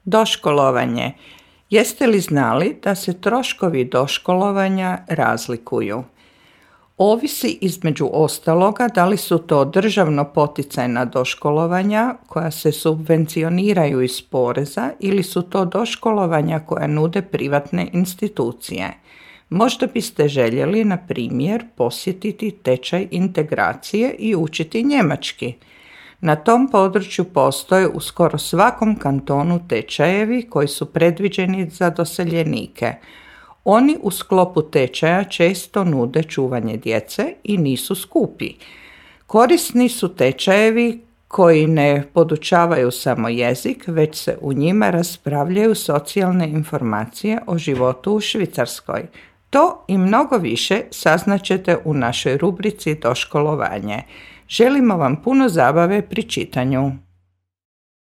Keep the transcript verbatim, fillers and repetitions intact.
Doškolovanje. Jeste li znali da se troškovi doškolovanja razlikuju? Ovisi između ostaloga da li su to državno poticajna doškolovanja koja se subvencioniraju iz poreza ili su to doškolovanja koja nude privatne institucije. Možda biste željeli, na primjer, posjetiti tečaj integracije i učiti njemački. Na tom području postoje u skoro svakom kantonu tečajevi koji su predviđeni za doseljenike. Oni u sklopu tečaja često nude čuvanje djece i nisu skupi. Korisni su tečajevi koji ne podučavaju samo jezik, već se u njima raspravljaju socijalne informacije o životu u Švicarskoj. To i mnogo više saznaćete u našoj rubrici Doškolovanje. Želimo vam puno zabave pri čitanju.